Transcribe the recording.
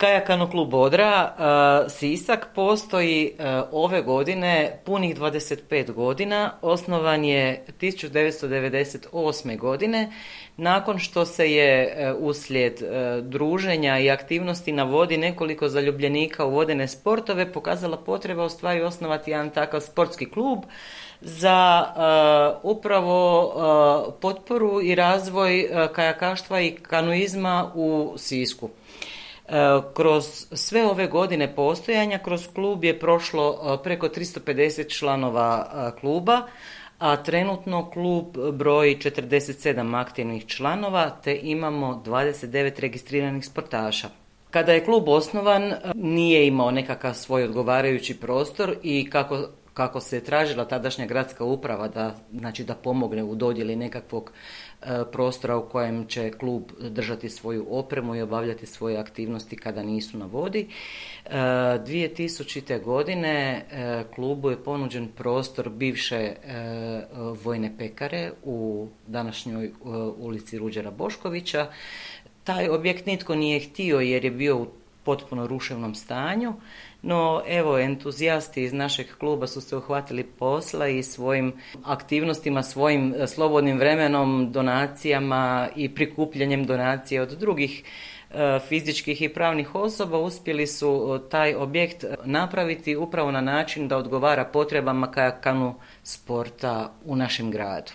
Kajakano klub Odra Sisak postoji ove godine punih 25 godina. Osnovan je 1998. godine nakon što se je uslijed druženja i aktivnosti na vodi nekoliko zaljubljenika u vodene sportove pokazala potreba u stvari osnovati jedan takav sportski klub za upravo potporu i razvoj kajakaštva i kanuizma u Sisku. Kroz sve ove godine postojanja kroz klub je prošlo preko 350 članova kluba, a trenutno klub broji 47 aktivnih članova te imamo 29 registriranih sportaša. Kada je klub osnovan nije imao nekakav svoj odgovarajući prostor i kako se je tražila tadašnja gradska uprava da pomogne u dodjeli nekakvog prostora u kojem će klub držati svoju opremu i obavljati svoje aktivnosti kada nisu na vodi. 2000. godine klubu je ponuđen prostor bivše vojne pekare u današnjoj ulici Ruđera Boškovića. Taj objekt nitko nije htio jer je bio u potpuno ruševnom stanju, no evo entuzijasti iz našeg kluba su se uhvatili posla i svojim aktivnostima, svojim slobodnim vremenom, donacijama i prikupljanjem donacija od drugih fizičkih i pravnih osoba uspjeli su taj objekt napraviti upravo na način da odgovara potrebama kajakanu sporta u našem gradu.